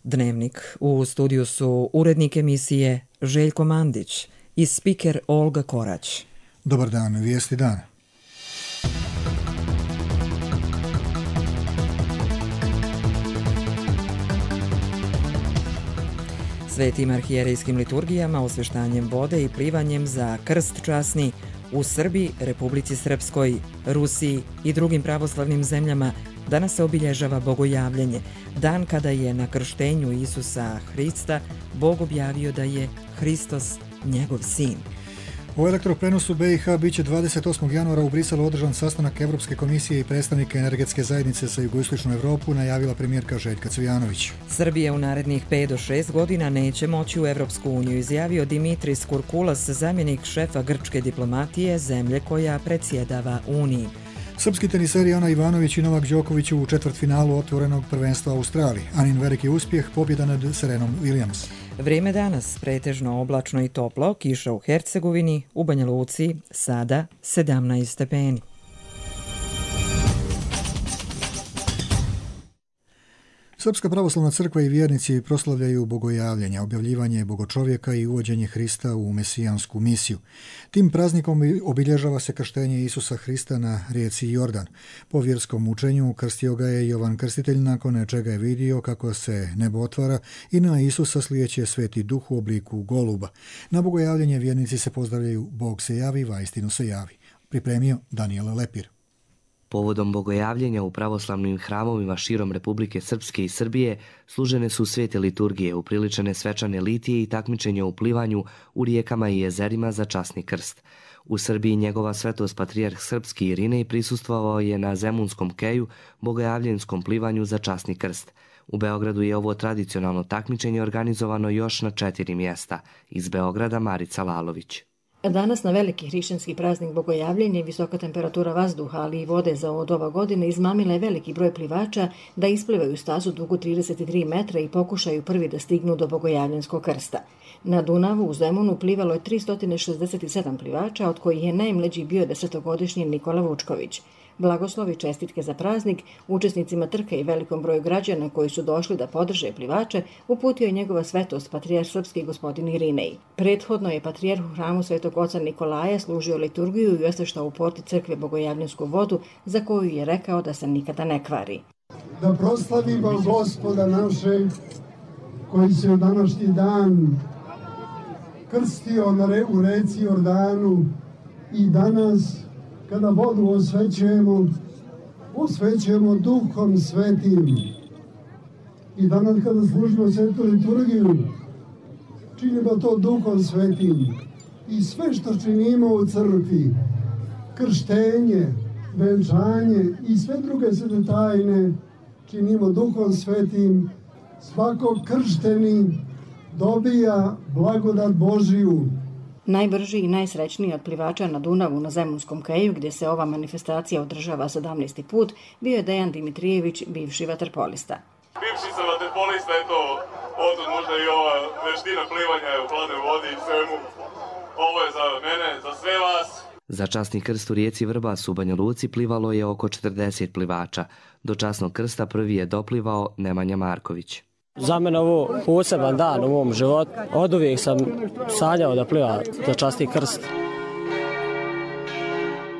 Dnevnik. U studiju su urednik emisije Željko Mandić i spiker Olga Korać. Dobar dan, vijesti dana. Svetim arhijerejskim liturgijama, osveštanjem vode i plivanjem za krst časni u Srbiji, Republici Srpskoj, Rusiji i drugim pravoslavnim zemljama danas se obilježava bogojavljenje, dan kada je na krštenju Isusa Hrista Bog objavio da je Hristos njegov sin. U elektroprenosu BiH biće 28. januara u Briselu održan sastanak Evropske komisije i predstavnika energetske zajednice za jugoistočnu Evropu, najavila premijerka Željka Cvijanović. Srbija u narednih 5 do 6 godina neće moći u Evropsku uniju, izjavio Dimitris Kurkulas, zamjenik šefa grčke diplomatije, zemlje koja predsjedava Uniji. Srpski teniseri Ana Ivanović i Novak Đoković u četvrtfinalu otvorenog prvenstva Australije. Anin veliki uspjeh, pobjeda nad Serenom Williams. Vrijeme danas pretežno oblačno i toplo, kiša u Hercegovini, u Banja Luci sada 17 stepeni. Srpska pravoslavna crkva i vjernici proslavljaju bogojavljenja, objavljivanje bogočovjeka i uvođenje Hrista u mesijansku misiju. Tim praznikom obilježava se krštenje Isusa Hrista na rijeci Jordan. Po vjerskom učenju krstio ga je Jovan Krstitelj, nakon čega je vidio kako se nebo otvara i na Isusa slijeće Sveti Duh u obliku goluba. Na bogojavljenje vjernici se pozdravljaju Bog se javi, vaistinu se javi. Pripremio Daniel Lepir. Povodom bogojavljenja u pravoslavnim hramovima širom Republike Srpske i Srbije služene su svete liturgije, upriličene svečane litije i takmičenja u plivanju u rijekama i jezerima za časni krst. U Srbiji njegova svetost patrijarh srpski Irinej prisustvovao je na Zemunskom keju bogojavljenskom plivanju za časni krst. U Beogradu je ovo tradicionalno takmičenje organizovano još na 4 mjesta. Iz Beograda Marica Lalović. Danas na veliki hrišćanski praznik bogojavljenja i visoka temperatura vazduha, ali i vode za od ova godine izmamila je veliki broj plivača da isplivaju stazu dugu 33 metra i pokušaju prvi da stignu do bogojavljenskog krsta. Na Dunavu u Zemunu plivalo je 367 plivača, od kojih je najmlađi bio 10-godišnji Nikola Vučković. Blagoslovi čestitke za praznik učesnicima trke i velikom broju građana koji su došli da podrže plivače uputio je njegova svetost patrijarh srpski gospodin Irinej. Prethodno je patrijarh u hramu Svetog oca Nikolaja služio liturgiju i osveštao u porti crkve bogojavljensku vodu, za koju je rekao da se nikada ne kvari. Da proslavimo Gospoda našeg koji se u današnji dan krstio u reci Jordanu i danas kada vodu osvećujemo Duhom Svetim. I danas kada služimo svetu liturgiju, činimo to Duhom Svetim. I sve što činimo u crkvi, krštenje, venčanje i sve druge svete tajne, činimo Duhom Svetim. Svako kršteni dobija blagodat Božiju. Najbrži i najsrećniji od plivača na Dunavu na Zemunskom keju, gdje se ova manifestacija održava 17. put, bio je Dejan Dimitrijević, bivši vaterpolista. Bivši sam vaterpolista, eto, odtud možda i ova veština plivanja u hladnoj vodi i svemu. Ovo je za mene, za sve vas. Za časni krst u rijeci Vrbas u Banja Luci plivalo je oko 40 plivača. Do časnog krsta prvi je doplivao Nemanja Marković. Za mene ovo poseban dan u mom životu. Oduvijek sam sanjao da pliva za časni krst.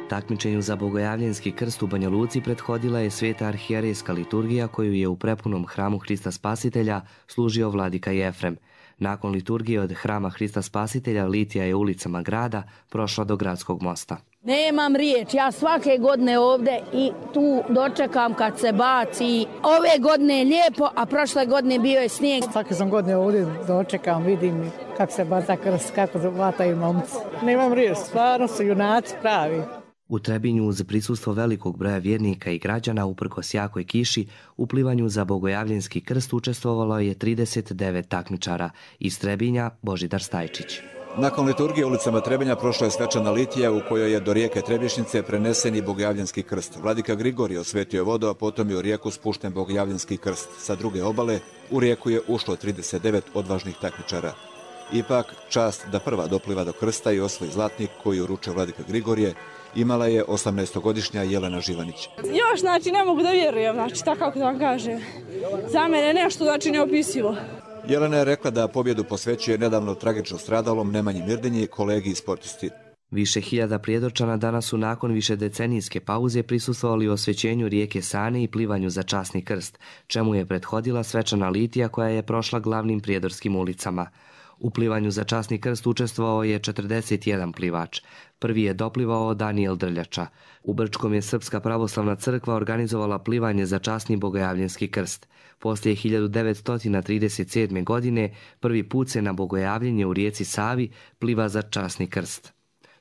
Takmičenju za bogojavljenski krst u Banja Luci prethodila je sveta arhijerejska liturgija koju je u prepunom hramu Hrista Spasitelja služio vladika Jefrem. Nakon liturgije od hrama Hrista Spasitelja litija je ulicama grada prošla do gradskog mosta. Nemam riječ, ja svake godine ovdje i tu dočekam kad se baci. Ove godine je lijepo, a prošle godine bio je snijeg. Svake sam godine ovdje dočekam, vidim kako se baca krst, kako vataju momci. Nemam riječ, stvarno su junaci pravi. U Trebinju uz prisustvo velikog broja vjernika i građana uprkos jakoj kiši u plivanju za bogojavljenski krst učestvovalo je 39 takmičara. Iz Trebinja Božidar Stajčić. Nakon liturgije ulicama Trebinja prošla je svečana litija u kojoj je do rijeke Trebinjšnice prenesen i bogojavljenski krst. Vladika Grigorije osvetio je vodu, a potom je u rijeku spušten bogojavljenski krst. Sa druge obale u rijeku je ušlo 39 odvažnih takmičara. Ipak, čast da prva dopliva do krsta i osvoji zlatnik koji uručuje vladika Grigorije imala je 18-godišnja Jelena Živanić. Još, znači, ne mogu da vjerujem, znači, tako kako da vam kažem. Za mene nešto, znači, neopisivo. Jelena je rekla da pobjedu posvećuje nedavno tragično stradalom Nemanji Mirdinji, kolegi i sportisti. Više hiljada prijedorčana danas su nakon višedecenijske pauze prisustvovali osvećenju rijeke Sane i plivanju za časni krst, čemu je prethodila svečana litija koja je prošla glavnim prijedorskim ulicama. U plivanju za časni krst učestvovao je 41 plivač. Prvi je doplivao Danijel Drljača. U Brčkom je Srpska pravoslavna crkva organizovala plivanje za časni bogojavljenski krst. Poslije 1937. godine prvi put se na bogojavljenje u rijeci Savi pliva za časni krst.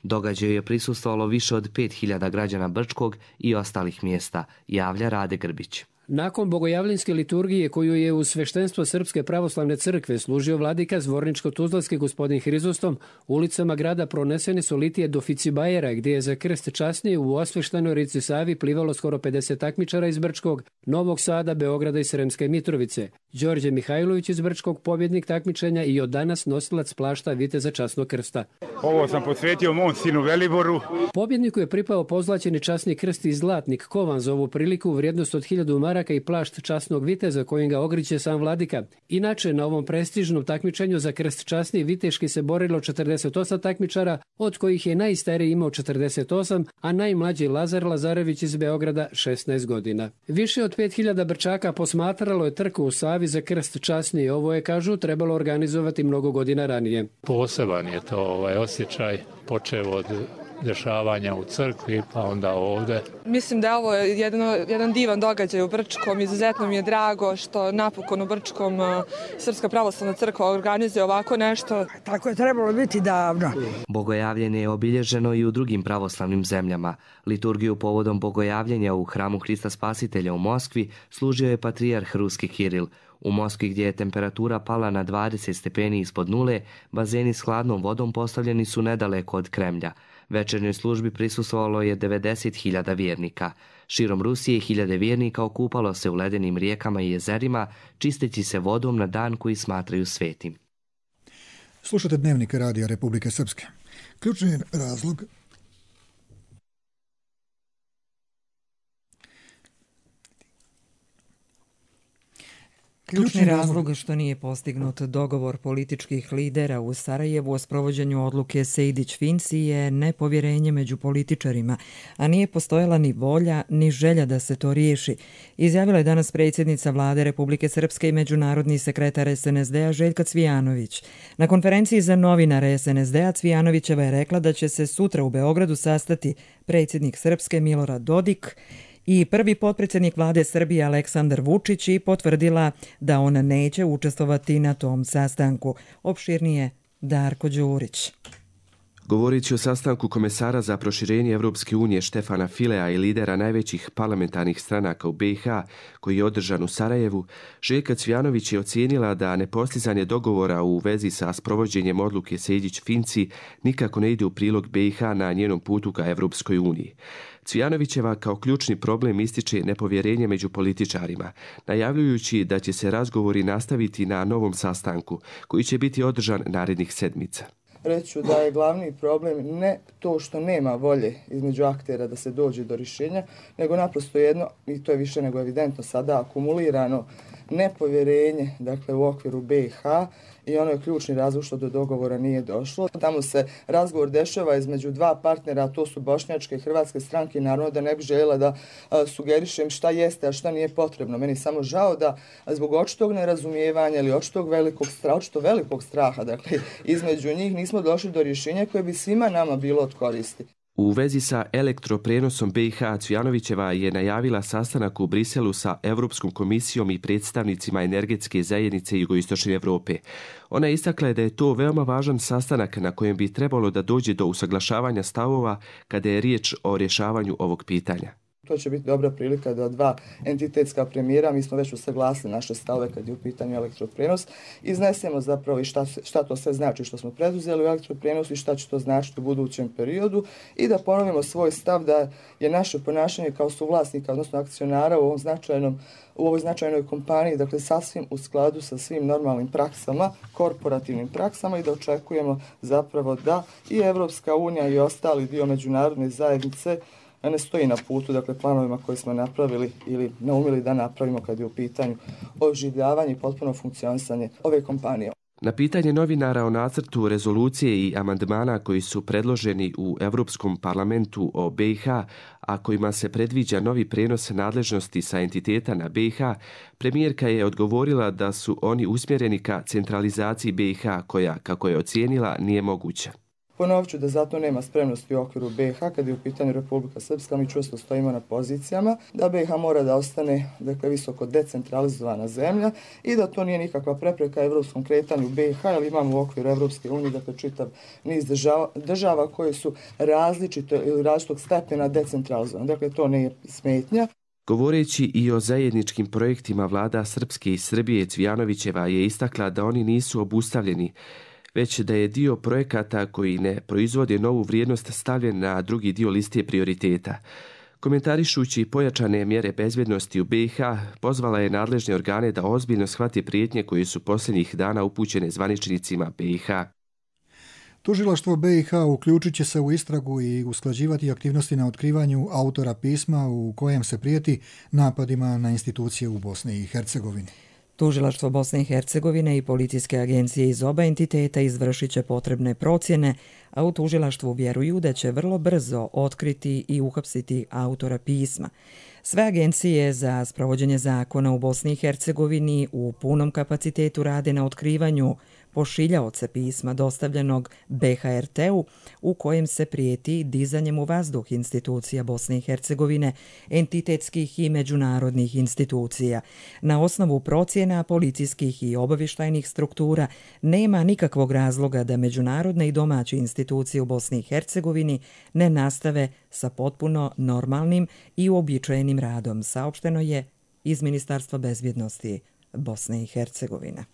Događaju je prisustvovalo više od 5000 građana Brčkog i ostalih mjesta, javlja Rade Grbić. Nakon bogojavljenske liturgije koju je uz sveštenstvo Srpske pravoslavne crkve služio vladika Zvorničko-Tuzlanski gospodin Hrizostom, ulicama grada pronesene su litije do Ficibajera, gdje je za krst časnije u osveštenoj rijeci Savi plivalo skoro 50 takmičara iz Brčkog, Novog Sada, Beograda i Sremske Mitrovice. Đorđe Mihajlović iz Brčkog, pobjednik takmičenja i od danas nosilac plašta viteza časnog krsta. Ovo sam posvetio mom sinu Veliboru. Pobjedniku je pripao pozlaćeni časni krst i zlatnik kovan za ovu priliku u vrijednost od 1000 maraka i plašt časnog viteza kojim ga ogriće sam vladika. Inače, na ovom prestižnom takmičenju za krst časni viteški se borilo 48 takmičara, od kojih je najstariji imao 48, a najmlađi Lazar Lazarević iz Beograda 16 godina. Više od 5000 Brčaka posmatralo je trku u Savi za krst časni. Ovo je, kažu, trebalo organizovati mnogo godina ranije. Poseban je to osjećaj, počeo od dešavanja u crkvi, pa onda ovdje. Mislim da je ovo jedan divan događaj u Brčkom. Izuzetno mi je drago što napokon u Brčkom Srpska pravoslavna crkva organizuje ovako nešto. Tako je trebalo biti davno. Bogojavljenje je obilježeno i u drugim pravoslavnim zemljama. Liturgiju povodom bogojavljenja u hramu Hrista Spasitelja u Moskvi služio je patrijarh Ruski Kiril. U Moskvi, gdje je temperatura pala na 20 stepeni ispod nule, bazeni s hladnom vodom postavljeni su nedaleko od Kremlja. Večernjoj službi prisustvovalo je 90.000 vjernika. Širom Rusije 1000 vjernika okupalo se u ledenim rijekama i jezerima, čisteći se vodom na dan koji smatraju svetim. Slušate Dnevnik Radija Republike Srpske. Ključni razlog Ključni razlog što nije postignut dogovor političkih lidera u Sarajevu o sprovođenju odluke Sejdić-Finci je nepovjerenje među političarima, a nije postojala ni volja ni želja da se to riješi, izjavila je danas predsjednica Vlade Republike Srpske i međunarodni sekretar SNSD-a Željka Cvijanović. Na konferenciji za novinare SNSD-a Cvijanovićeva je rekla da će se sutra u Beogradu sastati predsjednik Srpske Milorad Dodik i prvi potpredsjednik vlade Srbije Aleksandar Vučić i potvrdila da on neće učestvovati na tom sastanku. Opširnije Darko Đurić. Govoreći o sastanku komesara za proširenje Evropske unije Štefana Filea i lidera najvećih parlamentarnih stranaka u BiH, koji je održan u Sarajevu, Željka Cvijanović je ocijenila da nepostizanje dogovora u vezi sa sprovođenjem odluke Sejdić-Finci nikako ne ide u prilog BiH na njenom putu ka Evropskoj uniji. Cvijanovićeva kao ključni problem ističe nepovjerenje među političarima, najavljujući da će se razgovori nastaviti na novom sastanku, koji će biti održan narednih sedmica. Reću da je glavni problem ne to što nema volje između aktera da se dođe do rješenja, nego naprosto jedno, i to je više nego evidentno sada, akumulirano nepovjerenje, dakle, u okviru BiH, i ono je ključni razlog što do dogovora nije došlo. Tamo se razgovor dešava između dva partnera, a to su bošnjačke i hrvatske stranke, i naravno da ne bih željela da sugerišem šta jeste, a šta nije potrebno. Meni je samo žao da zbog očitog nerazumijevanja ili očito velikog straha, dakle, između njih nismo došli do rješenja koje bi svima nama bilo od koristi. U vezi sa elektroprenosom BiH, Cvijanovićeva je najavila sastanak u Briselu sa Evropskom komisijom i predstavnicima energetske zajednice Jugoistočne Evrope. Ona je istakla da je to veoma važan sastanak na kojem bi trebalo da dođe do usaglašavanja stavova kada je riječ o rješavanju ovog pitanja. To će biti dobra prilika da dva entitetska premijera, mi smo već usaglasili naše stavove kad je u pitanju elektroprenos, iznesemo zapravo i šta to sve znači što smo preduzeli u elektroprenosu i šta će to značiti u budućem periodu i da ponovimo svoj stav da je naše ponašanje kao suvlasnika, odnosno akcionara u ovoj značajnoj kompaniji, dakle sasvim u skladu sa svim normalnim praksama, korporativnim praksama i da očekujemo zapravo da i Evropska unija i ostali dio međunarodne zajednice ne stoji na putu, dakle planovima koje smo napravili ili naumili da napravimo kad je u pitanju oživljavanje i potpuno funkcionisanje ove kompanije. Na pitanje novinara o nacrtu rezolucije i amandmana koji su predloženi u Europskom parlamentu o BiH, a kojima se predviđa novi prenos nadležnosti sa entiteta na BiH, premijerka je odgovorila da su oni usmjereni ka centralizaciji BiH koja, kako je ocijenila, nije moguća. Ponovit ću da zato nema spremnosti u okviru BiH kad je u pitanju Republika Srpska, mi čvrsto stojimo na pozicijama da BiH mora da ostane visoko decentralizovana zemlja i da to nije nikakva prepreka evropskom kretanju BiH, jer imamo u okviru Evropske unije čitav niz država koje su različite ili različitog stepena decentralizovane. Dakle, to nije smetnja. Govoreći i o zajedničkim projektima vlada Srpske i Srbije, Cvijanovićeva je istakla da oni nisu obustavljeni, već da je dio projekata koji ne proizvode novu vrijednost stavljen na drugi dio liste prioriteta. Komentarišući pojačane mjere bezbjednosti u BiH, pozvala je nadležne organe da ozbiljno shvate prijetnje koje su posljednjih dana upućene zvaničnicima BiH. Tužilaštvo BiH uključit će se u istragu i usklađivati aktivnosti na otkrivanju autora pisma u kojem se prijeti napadima na institucije u Bosni i Hercegovini. Tužilaštvo Bosne i Hercegovine i policijske agencije iz oba entiteta izvršit će potrebne procjene, a u tužilaštvu vjeruju da će vrlo brzo otkriti i uhapsiti autora pisma. Sve agencije za sprovođenje zakona u Bosni i Hercegovini u punom kapacitetu rade na otkrivanju pošiljaoca pisma dostavljenog BHRT-u u kojem se prijeti dizanjem u vazduh institucija Bosne i Hercegovine, entitetskih i međunarodnih institucija. Na osnovu procjena policijskih i obavještajnih struktura nema nikakvog razloga da međunarodne i domaće institucije u Bosni i Hercegovini ne nastave sa potpuno normalnim i uobičajenim radom, saopšteno je iz Ministarstva bezbjednosti Bosne i Hercegovine.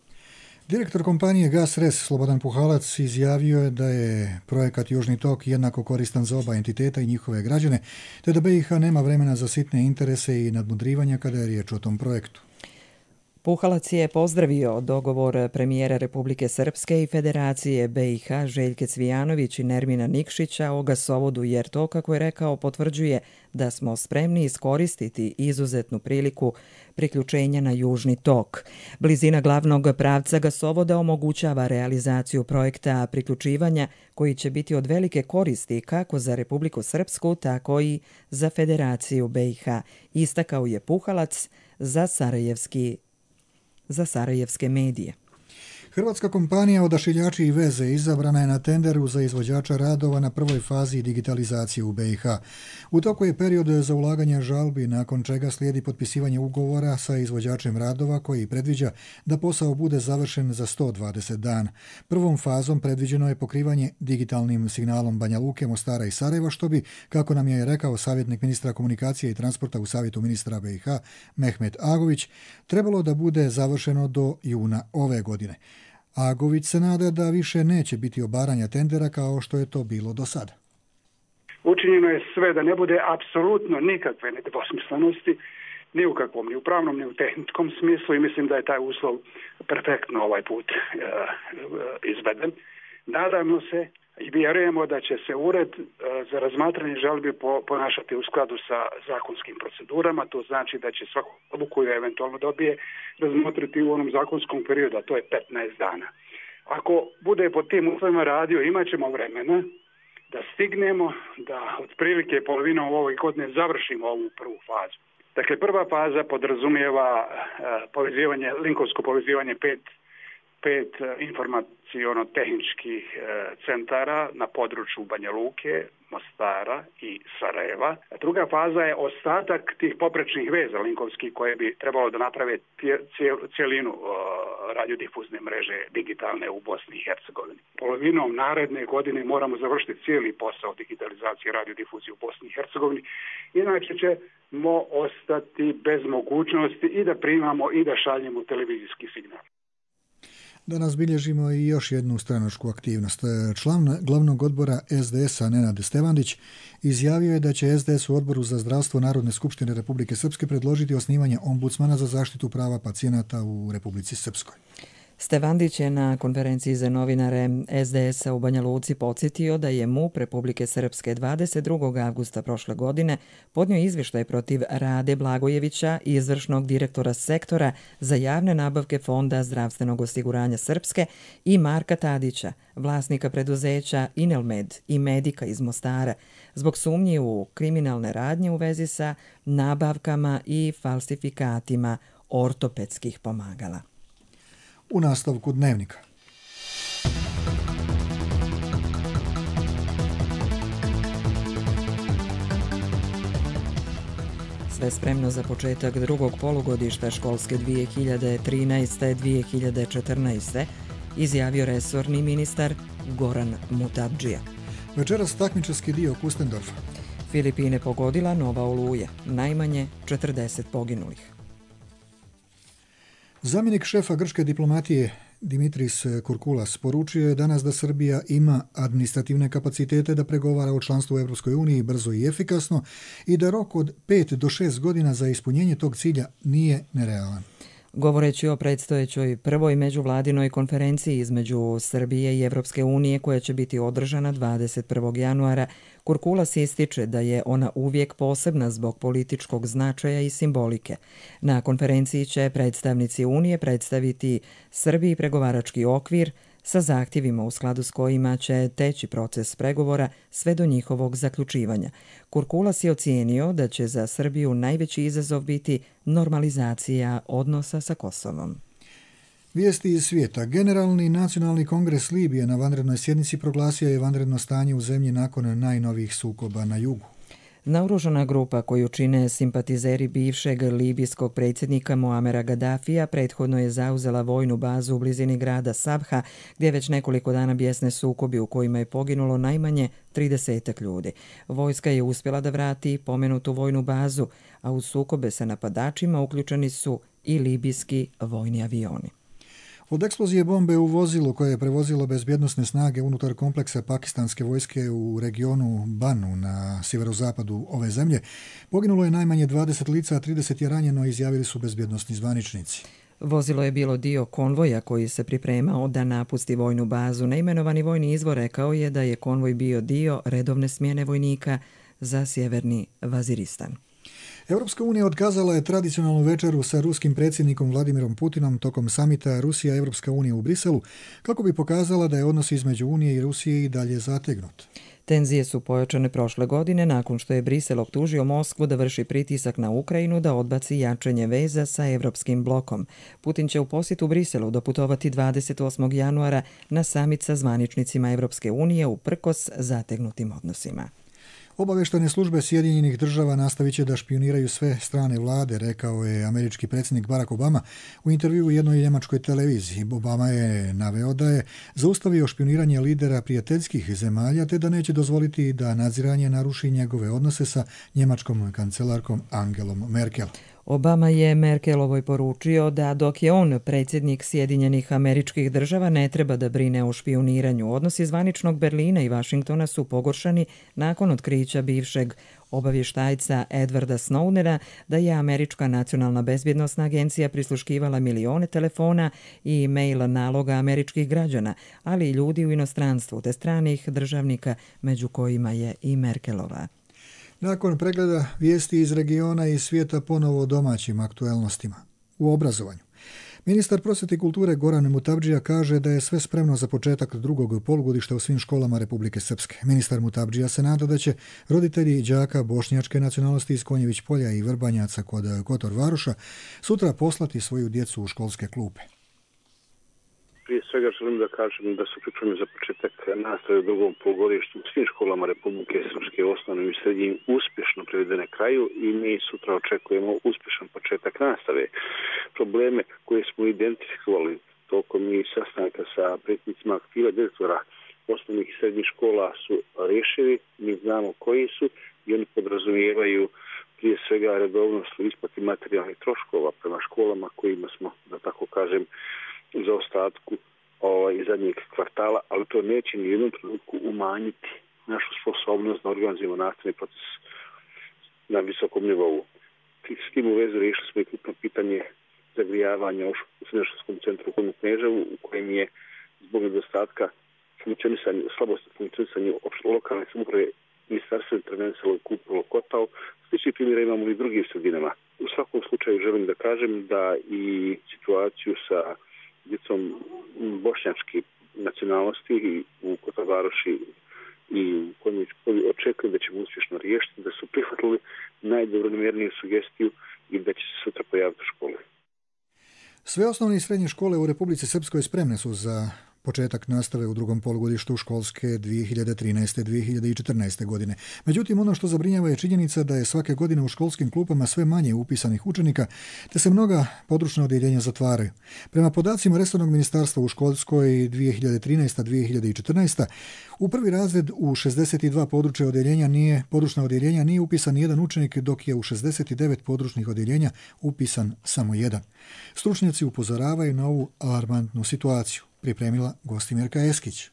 Direktor kompanije GasRes Slobodan Puhalac izjavio je da je projekat Južni tok jednako koristan za oba entiteta i njihove građane, te da BiH nema vremena za sitne interese i nadmudrivanja kada je riječ o tom projektu. Puhalac je pozdravio dogovor premijera Republike Srpske i Federacije BiH Željke Cvijanović i Nermina Nikšića o gasovodu, jer to, kako je rekao, potvrđuje da smo spremni iskoristiti izuzetnu priliku priključenja na Južni tok. Blizina glavnog pravca gasovoda omogućava realizaciju projekta priključivanja koji će biti od velike koristi kako za Republiku Srpsku, tako i za Federaciju BiH, istakao je Puhalac za sarajevske medije. Hrvatska kompanija Odašiljači i veze izabrana je na tenderu za izvođača radova na prvoj fazi digitalizacije u BiH. U toku je period za ulaganje žalbi, nakon čega slijedi potpisivanje ugovora sa izvođačem radova koji predviđa da posao bude završen za 120 dana. Prvom fazom predviđeno je pokrivanje digitalnim signalom Banja Luke, Mostara i Sarajeva, što bi, kako nam je rekao savjetnik ministra komunikacije i transporta u savjetu ministra BiH Mehmet Agović, trebalo da bude završeno do juna ove godine. Agović se nada da više neće biti obaranja tendera kao što je to bilo do sada. Učinjeno je sve da ne bude apsolutno nikakve nedvosmislenosti, ni u kakvom, ni u pravnom, ni u tehničkom smislu, i mislim da je taj uslov perfektno ovaj put izveden. Nadamo se i vjerujemo da će se ured za razmatranje žalbi ponašati u skladu sa zakonskim procedurama. To znači da će svaku odluku koju eventualno dobije razmotriti u onom zakonskom periodu, a to je 15 dana. Ako bude pod tim uslovima radio, imat ćemo vremena da stignemo da otprilike polovinom ove godine završimo ovu prvu fazu. Dakle, prva faza podrazumijeva linkovsko povezivanje pet informaciono-tehničkih centara na području Banja Luke, Mostara i Sarajeva. Druga faza je ostatak tih poprečnih veza linkovskih koje bi trebalo da naprave cijelinu radiodifuzne mreže digitalne u Bosni i Hercegovini. Polovinom naredne godine moramo završiti cijeli posao digitalizacije radiodifuzije u Bosni i Hercegovini, inače ćemo ostati bez mogućnosti i da primamo i da šaljemo televizijski signal. Danas bilježimo i još jednu stranačku aktivnost. Član glavnog odbora SDS-a Nenad Stevandić izjavio je da će SDS u Odboru za zdravstvo Narodne skupštine Republike Srpske predložiti osnivanje ombudsmana za zaštitu prava pacijenata u Republici Srpskoj. Stevandić je na konferenciji za novinare SDS-a u Banja Luci podsjetio da je MUP Republike Srpske 22. avgusta prošle godine podnio izvještaj protiv Rade Blagojevića, izvršnog direktora sektora za javne nabavke Fonda zdravstvenog osiguranja Srpske, i Marka Tadića, vlasnika preduzeća Inelmed i Medika iz Mostara, zbog sumnji u kriminalne radnje u vezi sa nabavkama i falsifikatima ortopedskih pomagala. U nastavku dnevnika. Sve spremno za početak drugog polugodišta školske 2013-2014, izjavio resorni ministar Goran Mutabdžija. Večeras takmičarski dio Kustendorfa. Filipine pogodila nova oluja, najmanje 40 poginulih. Zamjenik šefa grčke diplomatije Dimitris Kurkulas poručio je danas da Srbija ima administrativne kapacitete da pregovara o članstvu u Europskoj uniji brzo i efikasno i da rok od 5 do 6 godina za ispunjenje tog cilja nije nerealan. Govoreći o predstojećoj prvoj međuvladinoj konferenciji između Srbije i Evropske unije koja će biti održana 21. januara, Kurkulas ističe da je ona uvijek posebna zbog političkog značaja i simbolike. Na konferenciji će predstavnici Unije predstaviti Srbiji pregovarački okvir sa zahtjevima u skladu s kojima će teći proces pregovora sve do njihovog zaključivanja. Kurkulas je ocijenio da će za Srbiju najveći izazov biti normalizacija odnosa sa Kosovom. Vijesti iz svijeta. Generalni nacionalni kongres Libije na vanrednoj sjednici proglasio je vanredno stanje u zemlji nakon najnovijih sukoba na jugu. Naoružana grupa koju čine simpatizeri bivšeg libijskog predsjednika Muamera Gaddafija prethodno je zauzela vojnu bazu u blizini grada Sabha, gdje već nekoliko dana bijesne sukobi u kojima je poginulo najmanje 30 ljudi. Vojska je uspjela da vrati pomenutu vojnu bazu, a u sukobe sa napadačima uključeni su i libijski vojni avioni. Od eksplozije bombe u vozilu koje je prevozilo bezbjednosne snage unutar kompleksa pakistanske vojske u regionu Banu na sjeverozapadu ove zemlje poginulo je najmanje 20 lica, a 30 je ranjeno, izjavili su bezbjednosni zvaničnici. Vozilo je bilo dio konvoja koji se pripremao da napusti vojnu bazu. Neimenovani vojni izvor rekao je da je konvoj bio dio redovne smjene vojnika za sjeverni Vaziristan. Europska unija otkazala je tradicionalnu večeru sa ruskim predsjednikom Vladimirom Putinom tokom samita Rusija-Europska unija u Briselu kako bi pokazala da je odnos između Unije i Rusije i dalje zategnut. Tenzije su pojačane prošle godine nakon što je Brisel optužio Moskvu da vrši pritisak na Ukrajinu da odbaci jačanje veza sa Evropskim blokom. Putin će u posjetu Briselu doputovati 28. januara na samit sa zvaničnicima Evropske unije uprkos zategnutim odnosima. Obavještajne službe Sjedinjenih država nastavit će da špioniraju sve strane vlade, rekao je američki predsjednik Barack Obama u intervjuu u jednoj njemačkoj televiziji. Obama je naveo da je zaustavio špioniranje lidera prijateljskih zemalja te da neće dozvoliti da nadziranje naruši njegove odnose sa njemačkom kancelarkom Angelom Merkel. Obama je Merkelovoj poručio da dok je on predsjednik Sjedinjenih Američkih Država ne treba da brine o špijuniranju. Odnosi zvaničnog Berlina i Vašingtona su pogoršani nakon otkrića bivšeg obavještajca Edwarda Snowdena da je Američka nacionalna bezbjednosna agencija prisluškivala milione telefona i e-mail naloga američkih građana, ali i ljudi u inostranstvu te stranih državnika, među kojima je i Merkelova. Nakon pregleda vijesti iz regiona i svijeta ponovo o domaćim aktuelnostima. U obrazovanju. Ministar prosvjete i kulture Goran Mutabdžija kaže da je sve spremno za početak drugog polugodišta u svim školama Republike Srpske. Ministar Mutabdžija se nada da će roditelji đaka bošnjačke nacionalnosti iz Konjević polja i Vrbanjaca kod Kotor Varoša sutra poslati svoju djecu u školske klupe. Prije svega želim da kažem da su pripreme za početak nastave u drugom polugodištu u svim školama Republike Srpske osnovnim i srednjim uspješno privedene kraju i mi sutra očekujemo uspješan početak nastave. Probleme koje smo identifikovali tokom i sastanka sa predsjednicima aktiva direktora osnovnih i srednjih škola su rješili, mi znamo koji su i oni podrazumijevaju prije svega redovnost u isplati materijalnih troškova prema školama kojima smo, da tako kažem, u zaostatku iz zadnjeg kvartala, ali to neće ni u jednom trenutku umanjiti našu sposobnost da organizujemo nastavni proces na visokom nivou. S tim u vezu riješili smo i krupno pitanje zagrijavanja u srednjoškolskom centru u Kneževu, u kojem je zbog nedostatka slabosti funkcionisanja lokalne samouprave ministarstvo intervencijalo i kupilo kotao. Slični primjera imamo i drugim sredinama. U svakom slučaju želim da kažem da i situaciju sa djecom bošnjačke nacionalnosti u Kotovaroši i koji očekujem da ćemo uspješno riješiti, da su prihvatili najdobronamjerniju sugestiju i da će se sutra pojaviti u školi. Sve osnovne i srednje škole u Republici Srpskoj spremne su za početak nastave u drugom polugodištu školske 2013-2014. godine. Međutim, ono što zabrinjava je činjenica da je svake godine u školskim klupama sve manje upisanih učenika, te se mnoga područna odjeljenja zatvaraju. Prema podacima resornog ministarstva u školskoj 2013-2014. u prvi razred u 62 područna odjeljenja nije upisan jedan učenik, dok je u 69 područnih odjeljenja upisan samo jedan. Stručnjaci upozoravaju na ovu alarmantnu situaciju. Pripremila Gostimirka Eskić.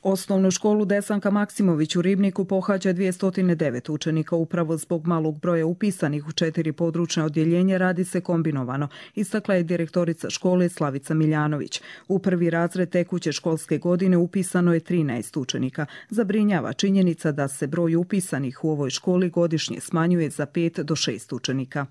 Osnovnu školu Desanka Maksimović u Ribniku pohađa 209 učenika. Upravo zbog malog broja upisanih u 4 područna odjeljenja radi se kombinovano, istakla je direktorica škole Slavica Miljanović. U prvi razred tekuće školske godine upisano je 13 učenika. Zabrinjava činjenica da se broj upisanih u ovoj školi godišnje smanjuje za 5 do 6 učenika.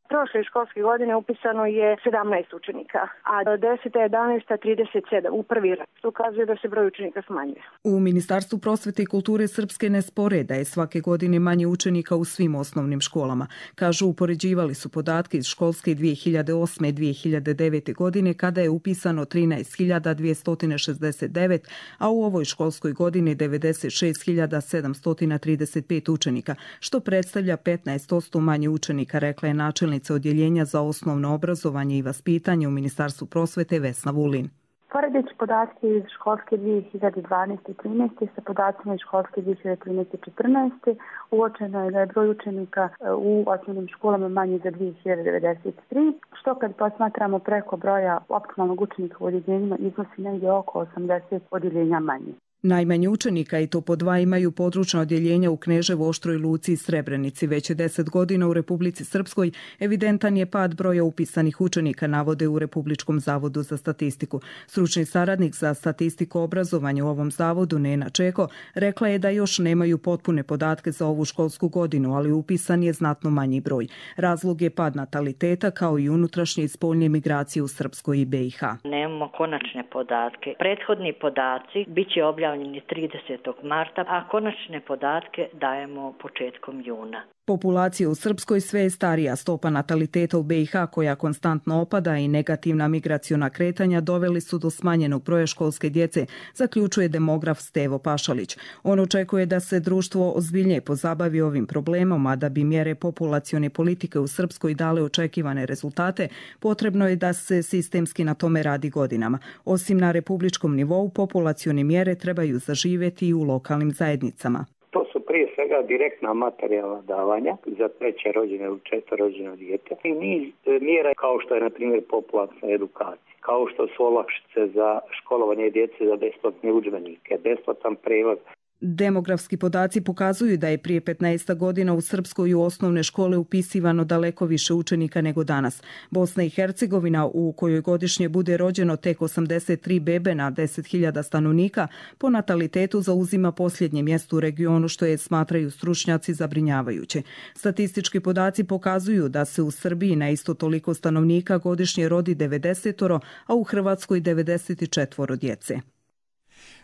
Prošle školske godine upisano je 17 učenika, a 10. 11. 37 u prvi raz. To ukazuje da se broj učenika smanjuje. U Ministarstvu prosvete i kulture Srpske ne spore da je svake godine manje učenika u svim osnovnim školama. Kažu, upoređivali su podatke iz školske 2008. 2009. godine kada je upisano 13.269, a u ovoj školskoj godini 96.735 učenika, što predstavlja 15% manje učenika, rekla je načelnica odjeljenja za osnovno obrazovanje i vaspitanje u Ministarstvu prosvete Vesna Vulin. Poredeći podatke iz školske 2012-13 sa podacima iz školske 2013-14 uočeno je da je broj učenika u osnovnim školama manji za 2093, što kad posmatramo preko broja optimalnog učenika u odjeljenjima iznosi negdje oko 80 odjeljenja manje. Najmanje učenika, i to po 2, imaju područna odjeljenja u Kneževu, Oštroj Luci i Srebrenici. Već je 10 godina u Republici Srpskoj evidentan je pad broja upisanih učenika, navode u Republičkom zavodu za statistiku. Stručni saradnik za statistiku obrazovanja u ovom zavodu, Nena Čeko, rekla je da još nemaju potpune podatke za ovu školsku godinu, ali upisan je znatno manji broj. Razlog je pad nataliteta kao i unutrašnje i spoljne migracije u Srpskoj i BiH. Nemamo konačne podatke. Prethodni podaci bit će objavljeni 30. marta, a konačne podatke dajemo početkom juna. Populacija u Srpskoj sve je starija. Stopa nataliteta u BiH, koja konstantno opada, i negativna migraciona kretanja doveli su do smanjenog broja školske djece, zaključuje demograf Stevo Pašalić. On očekuje da se društvo ozbiljnije pozabavi ovim problemom, a da bi mjere populacione politike u Srpskoj dale očekivane rezultate, potrebno je da se sistemski na tome radi godinama. Osim na republičkom nivou, populacione mjere trebaju zaživjeti i u lokalnim zajednicama. To su prije svega direktna materijalna davanja za 3. rođene ili 4. rođeno dijete i niz mjera kao što je na primjer populačna edukacija, kao što su olakšice za školovanje djece za besplatne udžbenike, besplatan prevoz. Demografski podaci pokazuju da je prije 15 godina u Srpskoj u osnovne škole upisivano daleko više učenika nego danas. Bosna i Hercegovina, u kojoj godišnje bude rođeno tek 83 bebe na 10.000 stanovnika, po natalitetu zauzima posljednje mjesto u regionu, što je, smatraju stručnjaci, zabrinjavajuće. Statistički podaci pokazuju da se u Srbiji na isto toliko stanovnika godišnje rodi 90, a u Hrvatskoj 94 djece.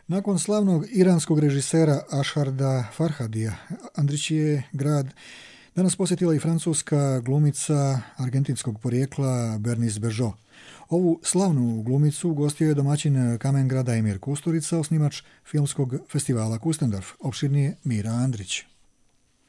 Nakon slavnog iranskog režisera Asharda Farhadija, Andrićije grad danas posjetila i francuska glumica argentinskog porijekla Bernice Bejo. Ovu slavnu glumicu gostio je domaćin Kamengrada Emir Kusturica, osnivač filmskog festivala Kustendorf. Opširnije Mira Andrić.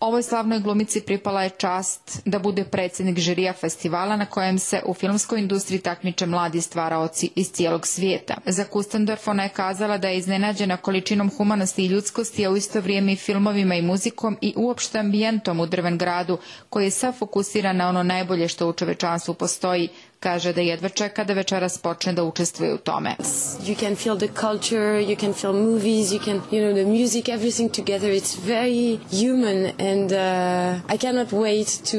Ovoj slavnoj glumici pripala je čast da bude predsjednik žirija festivala na kojem se u filmskoj industriji takmiče mladi stvaraoci iz cijelog svijeta. Za Kustendorf ona je kazala da je iznenađena količinom humanosti i ljudskosti, a u isto vrijeme i filmovima i muzikom i uopšte ambijentom u Drven gradu, koji je sav fokusiran na ono najbolje što u čovečanstvu postoji. Kaže da jedva čeka da večeras počne da učestvuje u tome. You can feel the culture, you can feel movies, you can, the music, everything together. It's very human and I cannot wait to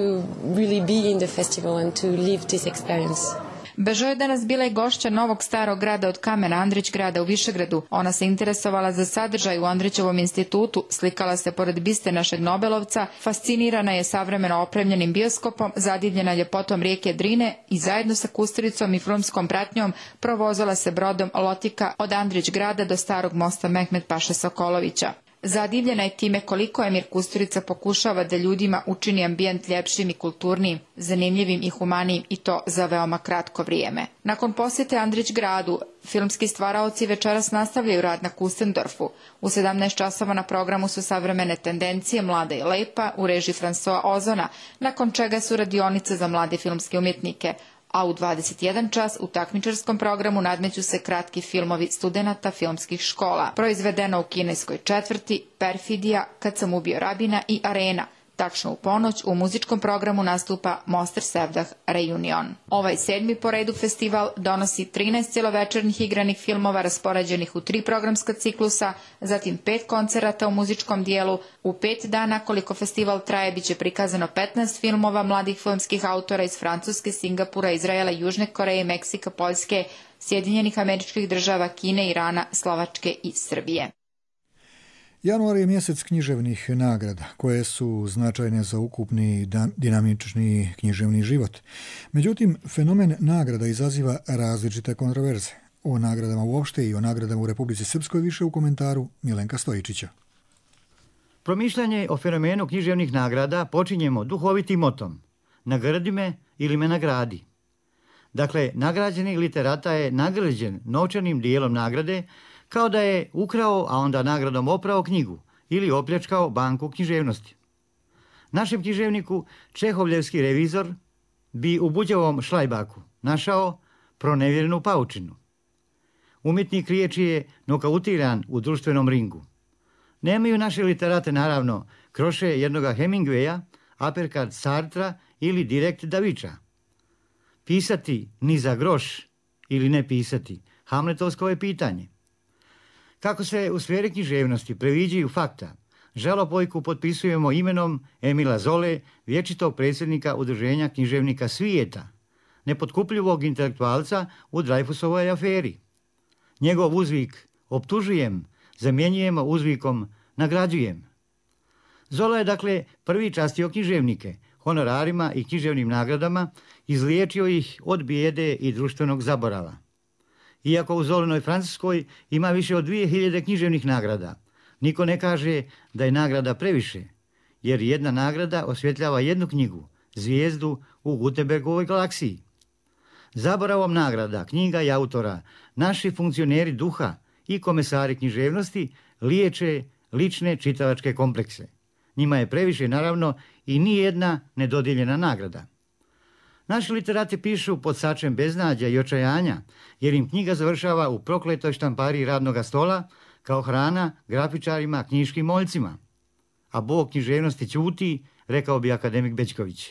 really be in the festival and to live this experience. Bežo je danas bila i gošća Novog starog grada od kamena, Andrić grada u Višegradu. Ona se interesovala za sadržaj u Andrićevom institutu, slikala se pored biste našeg Nobelovca, fascinirana je savremeno opremljenim bioskopom, zadivljena ljepotom rijeke Drine i zajedno sa Kusturicom i filmskom pratnjom provozala se brodom Lotika od Andrić grada do starog mosta Mehmet Paše Sokolovića. Zadivljena je time koliko Emir Kusturica pokušava da ljudima učini ambijent ljepšim i kulturnijim, zanimljivim i humanijim i to za veoma kratko vrijeme. Nakon posjete Andrić gradu, filmski stvaraoci večeras nastavljaju rad na Kustendorfu. U 17 časova na programu su savremene tendencije Mlada i lepa u režiji François Ozona, nakon čega su radionice za mlade filmske umjetnike, a u 21 čas u takmičarskom programu nadmeću se kratki filmovi studenata filmskih škola, proizvedeno u kineskoj četvrti, Perfidija, Kad sam ubio rabina i Arena. Tačno u ponoć u muzičkom programu nastupa Moster Sevdah Reunion. Ovaj 7. po redu festival donosi 13 cjelovečernjih igranih filmova raspoređenih u 3 programska ciklusa, zatim 5 koncerata u muzičkom dijelu. U 5 dana koliko festival traje biće prikazano 15 filmova mladih filmskih autora iz Francuske, Singapura, Izraela, Južne Koreje, Meksika, Poljske, Sjedinjenih Američkih Država, Kine, Irana, Slovačke i Srbije. Januar je mjesec književnih nagrada, koje su značajne za ukupni dinamični književni život. Međutim, fenomen nagrada izaziva različite kontroverze. O nagradama uopšte i o nagradama u Republici Srpskoj više u komentaru Milenka Stojičića. Promišljanje o fenomenu književnih nagrada počinjemo duhovitim motom. Nagradi me ili me nagradi. Dakle, nagrađeni literata je nagrađen novčanim dijelom nagrade, kao da je ukrao, a onda nagradom oprao knjigu ili opljačkao banku književnosti. Našem književniku čehovljevski revizor bi u Buđevom Šlajbaku našao pronevjerenu paučinu. Umjetnik riječi je nokautiran u društvenom ringu. Nemaju naše literate, naravno, kroše jednoga Hemingwaya, Aperkad Sartra ili direkt Daviča. Pisati ni za groš ili ne pisati, Hamletovsko je pitanje. Kako se u sferi književnosti previđaju fakta, žalopojku potpisujemo imenom Emila Zole, vječitog predsjednika Udruženja književnika svijeta, nepotkupljivog intelektualca u Dreyfusovoj aferi. Njegov uzvik optužujem zamjenjujemo uzvikom nagrađujem. Zola je dakle prvi častio književnike, honorarima i književnim nagradama, izliječio ih od bijede i društvenog zaborava. Iako u Zolinoj Francuskoj ima više od 2000 književnih nagrada, niko ne kaže da je nagrada previše, jer jedna nagrada osvjetljava jednu knjigu, zvijezdu u Gutenbergovoj galaksiji. Zaboravom nagrada, knjiga i autora, naši funkcioneri duha i komesari književnosti liječe lične čitavačke komplekse. Njima je previše, naravno, i nijedna nedodijeljena nagrada. Naši literati pišu pod sačem beznađa i očajanja, jer im knjiga završava u prokletoj štampariji radnoga stola kao hrana grafičarima, knjiškim moljcima. A Bog književnosti ćuti, rekao bi akademik Bećković.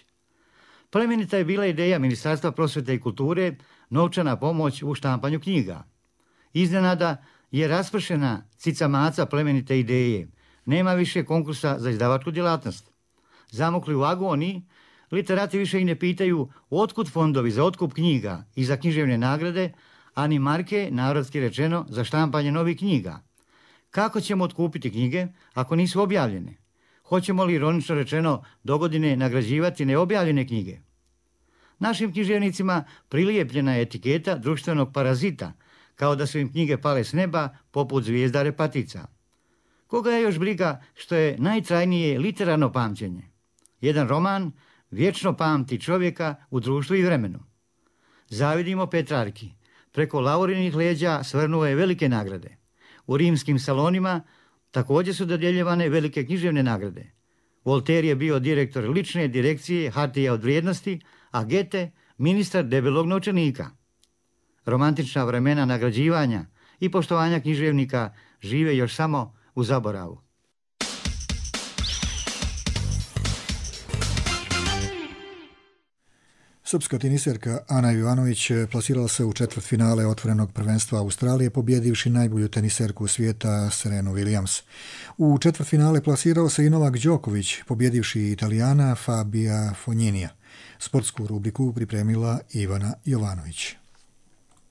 Plemenita je bila ideja Ministarstva prosvjete i kulture, novčana pomoć u štampanju knjiga. Iznenada je raspršena cica-maca plemenite ideje. Nema više konkursa za izdavačku djelatnost. Zamokli u agoniji, literati više i ne pitaju otkud fondovi za otkup knjiga i za književne nagrade, a ni marke, narodski rečeno, za štampanje novih knjiga. Kako ćemo otkupiti knjige ako nisu objavljene? Hoćemo li, ironično rečeno, dogodine nagrađivati neobjavljene knjige? Našim književnicima prilijepljena je etiketa društvenog parazita, kao da su im knjige pale s neba poput zvijezda repatica. Koga je još briga što je najtrajnije literarno pamćenje? Jedan roman vječno pamti čovjeka u društvu i vremenu. Zavidimo Petrarki. Preko Laurinih leđa svrnuo je velike nagrade. U rimskim salonima također su dodjeljivane velike književne nagrade. Voltaire je bio direktor lične direkcije hartija od vrijednosti, a Goethe ministar debelog novčanika. Romantična vremena nagrađivanja i poštovanja književnika žive još samo u zaboravu. Srpska teniserka Ana Ivanović plasirala se u četvrtfinale otvorenog prvenstva Australije, pobjedivši najbolju teniserku svijeta Serenu Williams. U četvrtfinale plasirao se i Novak Đoković, pobjedivši Italijana Fabia Fogninija. Sportsku rubriku pripremila Ivana Jovanović.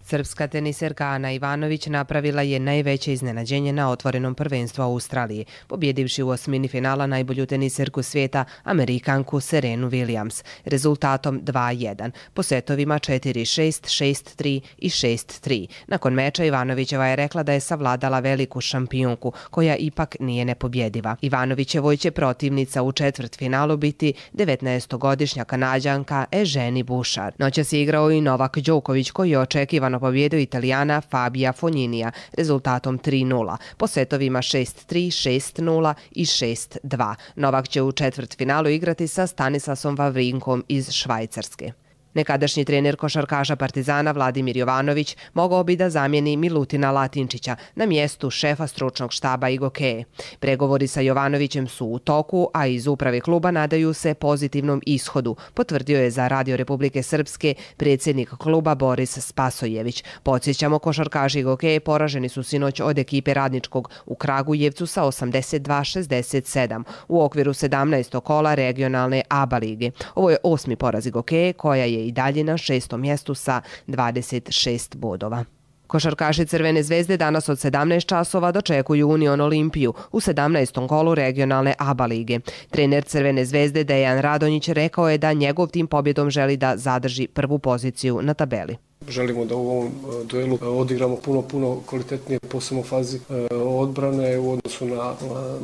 Srpska teniserka Ana Ivanović napravila je najveće iznenađenje na otvorenom prvenstvu Australije, pobjedivši u osmini finala najbolju teniserku svijeta, Amerikanku Serenu Williams, rezultatom 2-1, po setovima 4-6, 6-3 i 6-3. Nakon meča Ivanovićeva je rekla da je savladala veliku šampionku, koja ipak nije nepobjediva. Ivanovićevoj će protivnica u četvrtfinalu biti 19-godišnja Kanađanka Eugenie Bouchard. Noćas je igrao i Novak Đoković, koji je očekivano pobjedio Italijana Fabia Fogninija rezultatom 3-0, po setovima 6-3, 6-0 i 6-2. Novak će u četvrtfinalu igrati sa Stanislasom Wawrinkom iz Švajcarske. Nekadašnji trener košarkaša Partizana Vladimir Jovanović mogao bi da zamijeni Milutina Latinčića na mjestu šefa stručnog štaba Igokeje. Pregovori sa Jovanovićem su u toku, a iz uprave kluba nadaju se pozitivnom ishodu, potvrdio je za Radio Republike Srpske predsjednik kluba Boris Spasojević. Podsjećamo, košarkaši Igokeje poraženi su sinoć od ekipe Radničkog u Kragujevcu sa 82-67 u okviru 17. kola regionalne ABA lige. Ovo je 8. poraz Igokeje, koja je i dalje na 6. mjestu sa 26 bodova. Košarkaši Crvene zvezde danas od 17 časova dočekuju Union Olimpiju u 17. kolu regionalne ABA lige. Trener Crvene zvezde Dejan Radonjić rekao je da njegov tim pobjedom želi da zadrži prvu poziciju na tabeli. Želimo da u ovom duelu odigramo puno kvalitetnije, posebno u fazi odbrane u odnosu na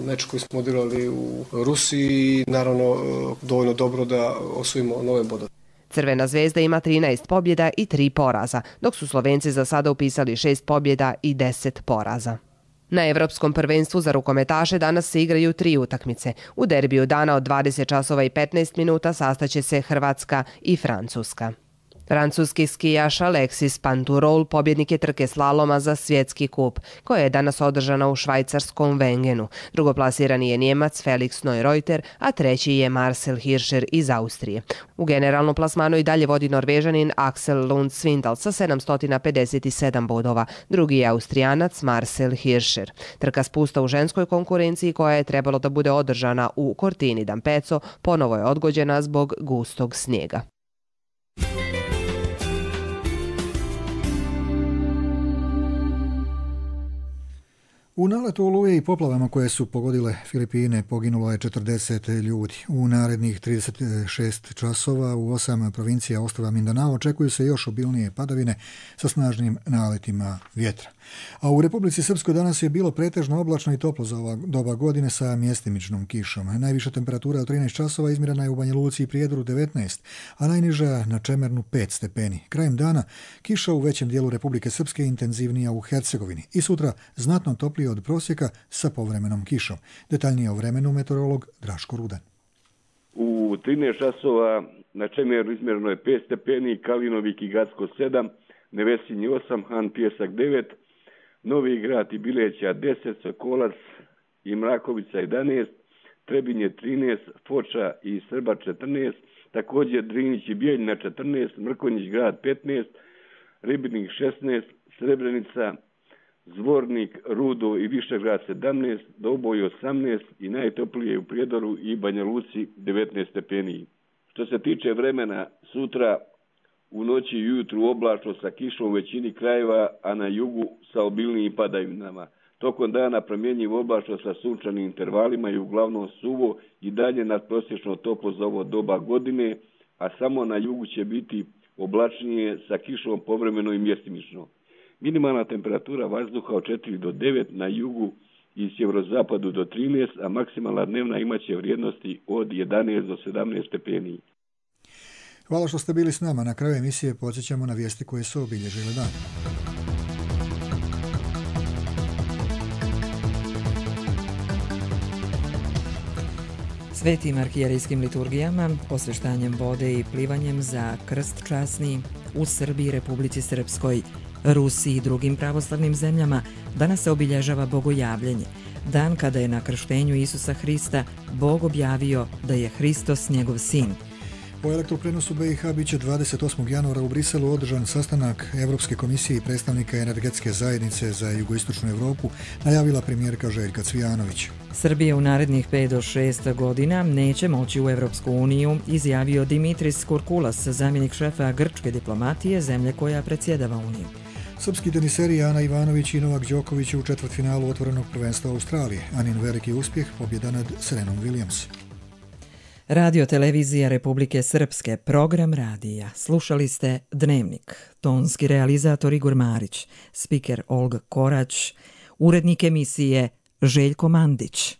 meč koji smo odigrali u Rusiji i naravno dovoljno dobro da osvojimo nove bodove. Crvena zvezda ima 13 pobjeda i 3 poraza, dok su Slovenci za sada upisali 6 pobjeda i 10 poraza. Na Evropskom prvenstvu za rukometaše danas se igraju 3 utakmice. U derbiju dana od 20 časova i 15 minuta sastaće se Hrvatska i Francuska. Francuski skijaš Alexis Panturol pobjednik je trke slaloma za svjetski kup, koja je danas održana u švajcarskom Wengenu. Drugoplasirani je Njemac Felix Neureuter, a treći je Marcel Hirscher iz Austrije. U generalnom plasmanu i dalje vodi Norvežanin Axel Lund Svindal sa 757 bodova. Drugi je Austrijanac Marcel Hirscher. Trka spusta u ženskoj konkurenciji, koja je trebalo da bude održana u Cortina d'Ampezzo, ponovo je odgođena zbog gustog snijega. U naletu oluje i poplavama koje su pogodile Filipine poginulo je 40 ljudi. U narednih 36 časova u 8 provincija ostrva Mindanao očekuju se još obilnije padavine sa snažnim naletima vjetra. A u Republici Srpskoj danas je bilo pretežno oblačno i toplo za ova doba godine sa mjestimičnom kišom. Najviša temperatura od 13 časova izmjerena je u Banja Luci i Prijedoru 19, a najniža na Čemernu 5 stepeni. Krajem dana kiša u većem dijelu Republike Srpske intenzivnija u Hercegovini i sutra znatno toplije od prosjeka sa povremenom kišom. Detaljnije o vremenu meteorolog Draško Rudan. U 13 časova na Čemeru izmjereno je 5 stepeni, Kalinovik i Gacko 7, Nevesinji 8, Han Pjesak 9, Novi Grad i Bileća 10, Sokolac i Mrakovica 11, Trebinje 13, Foča i Srba 14, također Drinić i Bijeljina 14, Mrkonjić Grad 15, Ribnik 16, Srebrenica, Zvornik, Rudo i Višegrad 17, Doboj 18 i najtoplije u Prijedoru i Banja Luci 19 stepeni. Što se tiče vremena, sutra u noći i ujutru oblačno sa kišom u većini krajeva, a na jugu sa obilnijim padavinama. Tokom dana promjenjivo oblačno sa sunčanim intervalima i uglavnom suvo i dalje nadprosječno toplo za ovo doba godine, a samo na jugu će biti oblačnije sa kišom povremeno i mjestimično. Minimalna temperatura vazduha od 4 do 9, na jugu i sjeverozapadu do 13, a maksimalna dnevna imaće vrijednosti od 11 do 17 stepeni. Hvala što ste bili s nama. Na kraju emisije podsjećamo na vijesti koje su obilježile dan. Svetim arhijerejskim liturgijama, osveštanjem vode i plivanjem za krst časni u Srbiji, Republici Srpskoj, Rusiji i drugim pravoslavnim zemljama danas se obilježava Bogojavljenje, dan kada je na krštenju Isusa Hrista Bog objavio da je Hristos njegov sin. Po elektroprenosu BiH biće 28. januara u Briselu održan sastanak Evropske komisije i predstavnika energetske zajednice za jugoistočnu Evropu, najavila premijerka Željka Cvijanović. Srbija u narednih 5 do 6 godina neće moći u Evropsku uniju, izjavio Dimitris Kurkulas, zamjenik šefa grčke diplomatije, zemlje koja predsjedava Uniju. Srpski teniseri Ana Ivanović i Novak Đoković u četvrtfinalu otvorenog prvenstva Australije. Anin veliki uspjeh, pobjeda nad Serenom Williams. Radio televizija Republike Srpske, program radija. Slušali ste Dnevnik, tonski realizator Igor Marić, spiker Olga Korać, urednik emisije Željko Mandić.